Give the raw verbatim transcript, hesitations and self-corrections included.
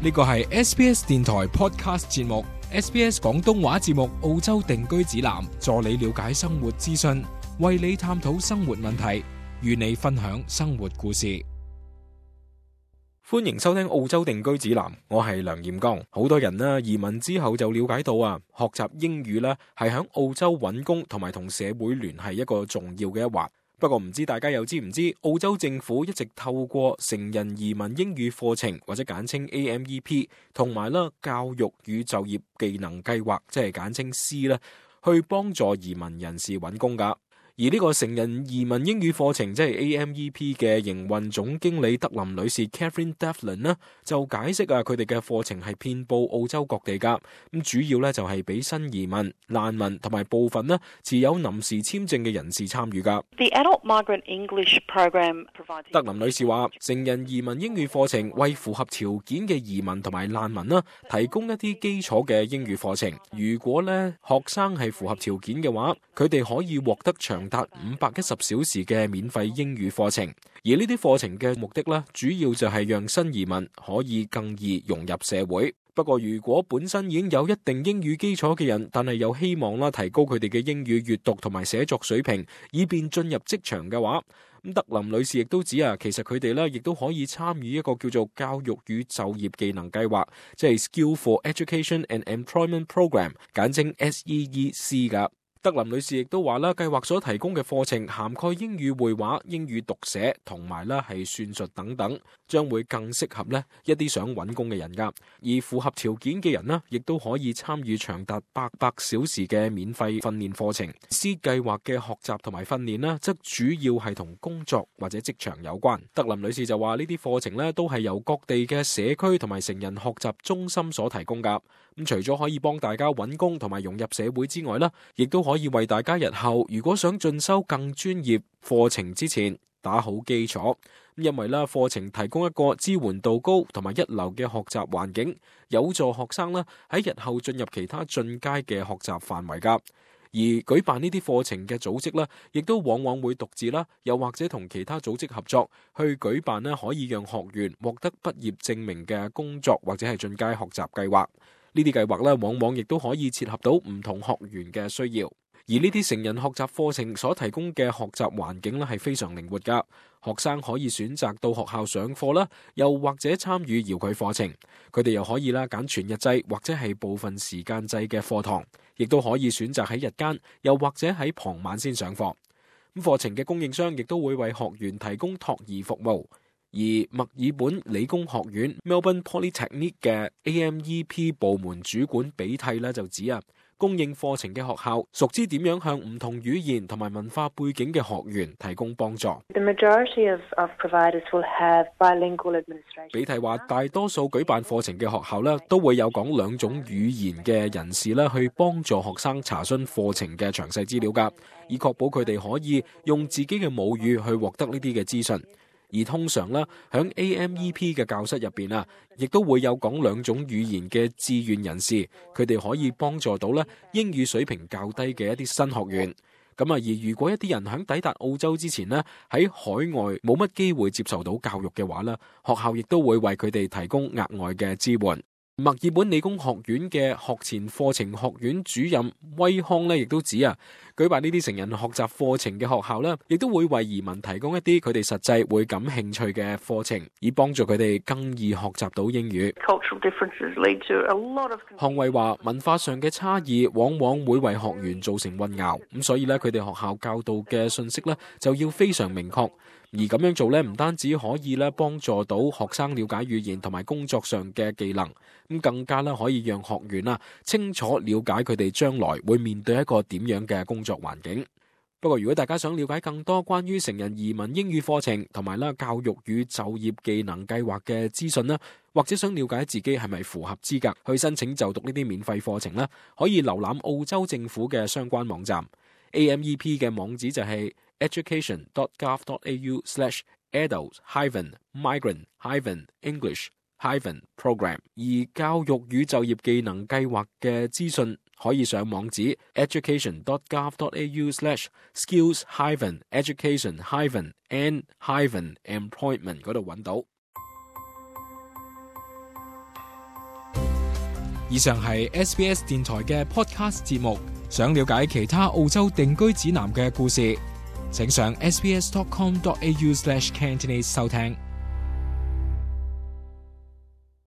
呢個係 S B S 電台 Podcast 節目 ，S B S 廣東話節目澳洲定居指南，助你了解生活資訊，為你探討生活問題，與你分享生活故事。歡迎收聽澳洲定居指南，我係梁彥剛。好多人呢移民之後就了解到啊，學習英語呢係響澳洲揾工同埋同社會聯繫一個重要嘅一環。不過唔知大家又知唔知，澳洲政府一直透過成人移民英語課程或者簡稱 A M E P， 同埋啦教育與就業技能計劃，即係簡稱 C 啦，去幫助移民人士揾工噶。而呢個成人移民英語課程即係 A M E P 嘅營運總經理德林女士 Catherine Devlin 呢，就解釋啊，佢哋嘅課程係遍佈澳洲各地噶，咁主要咧就係俾新移民、難民同埋部分呢持有臨時簽證嘅人士參與噶。The Adult Migrant English Program provides... 德林女士話，成人移民英語課程為符合條件嘅移民同埋難民啦，提供一啲基礎嘅英語課程。如果咧學生係符合條件嘅話，佢哋可以獲得長達五百一十小時嘅免費英語課程，而呢啲課程嘅目的咧，主要就係讓新移民可以更易融入社會。不過，如果本身已經有一定英語基礎嘅人，但係又希望啦提高佢哋嘅英語閱讀同埋寫作水平，以便進入職場嘅話，咁德林女士亦都指啊，其實佢哋咧亦都可以參與一個叫做教育與就業技能計劃，即係 Skill for Education and Employment Program， 簡稱 S E E C 噶。德林女士亦都話啦，計劃所提供嘅課程涵蓋英語會話、英語讀寫同埋啦係算術等等，將會更適合呢一啲想揾工嘅人噶。而符合條件嘅人呢，亦都可以參與長達八百小時嘅免費訓練課程。C 計劃嘅學習同埋訓練呢，則主要係同工作或者職場有關。德林女士就話呢啲課程呢，都係由各地嘅社區同埋成人學習中心所提供噶。咁除咗可以幫大家揾工同埋融入社會之外呢，亦都可以為大家日後如果想進修更專業課程之前打好基礎。因為咧課程提供一個支援度高同埋一流嘅學習環境，有助學生咧喺日後進入其他進階嘅學習範圍噶。而舉辦呢啲課程嘅組織咧，亦都往往會獨自啦，又或者同其他組織合作去舉辦咧，可以讓學員獲得畢業證明嘅工作或者係進階學習計劃。呢啲計劃咧，往往亦都可以切合到唔同學員嘅需要。而呢啲成人學習課程所提供嘅學習環境咧，係非常靈活噶。學生可以選擇到學校上課啦，又或者參與遙距課程。佢哋又可以啦揀全日制或者係部分時間制嘅課堂，亦都可以選擇喺日間，又或者喺傍晚先上課。咁課程嘅供應商亦都會為學員提供托兒服務。而墨爾本理工學院 Melbourne Polytechnic 嘅 A M E P 部門主管比蒂咧就指啊，供應課程嘅學校熟知點樣向唔同語言同埋文化背景嘅學員提供幫助。The majority of, of providers will have bilingual administration. 比蒂話，大多數舉辦課程嘅學校咧，都會有講兩種語言嘅人士咧，去幫助學生查詢課程嘅詳細資料噶，以確保佢哋可以用自己嘅母語去獲得呢啲嘅資訊。而通常咧，響 A M E P 嘅教室入邊啊，亦都會有講兩種語言嘅志願人士，佢哋可以幫助到咧英語水平較低嘅一啲新學員。咁啊，而如果一啲人響抵達澳洲之前呢，喺海外冇乜機會接受到教育嘅話咧，學校亦都會為佢哋提供額外嘅支援。墨爾本理工學院嘅學前課程學院主任威康咧，亦都指啊，舉辦呢啲成人學習課程嘅學校咧，亦都會為移民提供一啲佢哋實際會感興趣嘅課程，以幫助佢哋更易學習到英語。康衛話，文化上嘅差異往往會為學員造成混淆，咁所以咧，佢哋學校教導嘅信息咧就要非常明確。而咁樣做咧，唔單止可以咧幫助到學生了解語言同埋工作上嘅技能，咁更加咧可以讓學員啊清楚了解佢哋將來會面對一個點樣嘅工作環境。不過如果大家想了解更多關於成人移民英語課程同埋啦教育與就業技能計劃嘅資訊啦，或者想了解自己係咪符合資格去申請就讀呢啲免費課程咧，可以瀏覽澳洲政府嘅相關網站。A M E P 嘅網址就係 education dot gov dot a u slash adult hyphen migrant hyphen english hyphen program。 而教育與就業技能計劃嘅資訊可以上網址 education dot gov dot a u slash skills hyphen education hyphen and hyphen employment 嗰度揾到。以上係 S B S 電台嘅 podcast 節目。想了解其他澳洲定居指南嘅故事，請上 s b s dot com dot a u slash cantonese 收聽。